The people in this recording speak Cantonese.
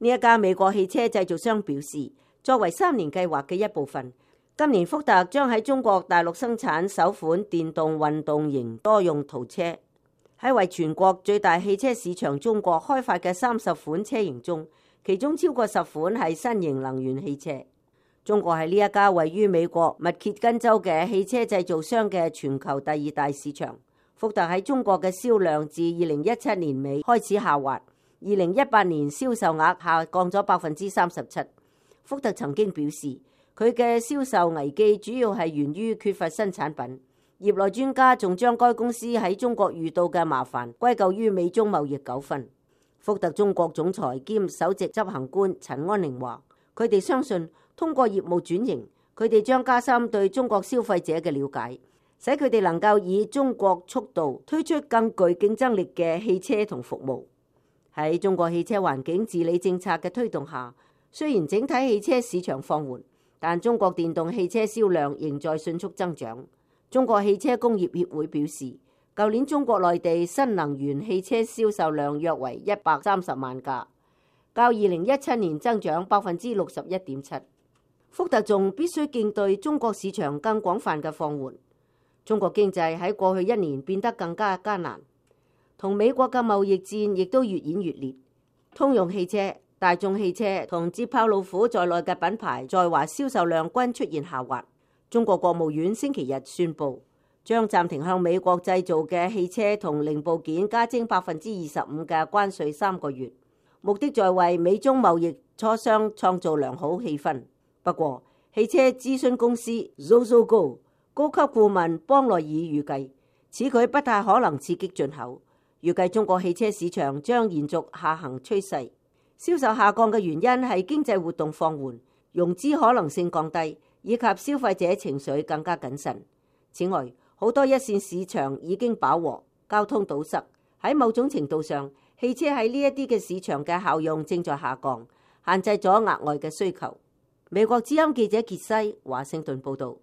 呢一家美國汽車製造商表示，作為3年計劃嘅一部分，今年福特將喺中國大陸生產首款電動運動型多用途車。喺為全國最大汽車市場中國開發嘅30款車型中，其中超過10款係新型能源汽車。中國係呢一家位於美國密歇根州嘅汽車製造商嘅全球第2大市場。福特喺中國嘅銷量自2017年尾開始下滑，2018年銷售額下降咗37%。福特曾經表示，佢嘅銷售危機主要係源於缺乏新產品。業內專家仲將該公司喺中國遇到嘅麻煩歸咎於美中貿易糾紛。福特中國總裁兼首席執行官陳安寧話，佢哋相信通過業務轉型，佢哋將加深對中國消費者嘅了解，使佢哋能夠以中國速度推出更具競爭力嘅汽車同服務。喺中國汽車環境治理政策嘅推動下，雖然整體汽車市場放緩，但中國電動汽車銷量仍在迅速增長。中國汽車工業協會表示，舊年中國內地新能源汽車銷售量約為130萬架，較2017年增長61.7%。福特仲必須應對中國市場更廣泛嘅放緩。中國經濟喺過去1年變得更加艱難，同美國嘅貿易戰亦都越演越烈。通用汽車、大眾汽車同捷豹路虎在內嘅品牌在華銷售量均出現下滑。中國國務院星期日宣布，將暫停向美國製造嘅汽車同零部件加徵25%嘅關稅3個月，目的在為美中貿易磋商創造良好氣氛。不過，汽車諮詢公司 Zozogo 高級顧問邦內爾預計，此舉不太可能刺激進口。預計中國汽車市場將延續下行趨勢，銷售下降嘅原因係經濟活動放緩、融資可能性降低，以及消費者情緒更加謹慎。此外，好多一線市場已經飽和，交通堵塞。喺某種程度上，汽車喺呢一啲嘅市場嘅效用正在下降，限制咗額外嘅需求。美國之音記者傑西華盛頓報導。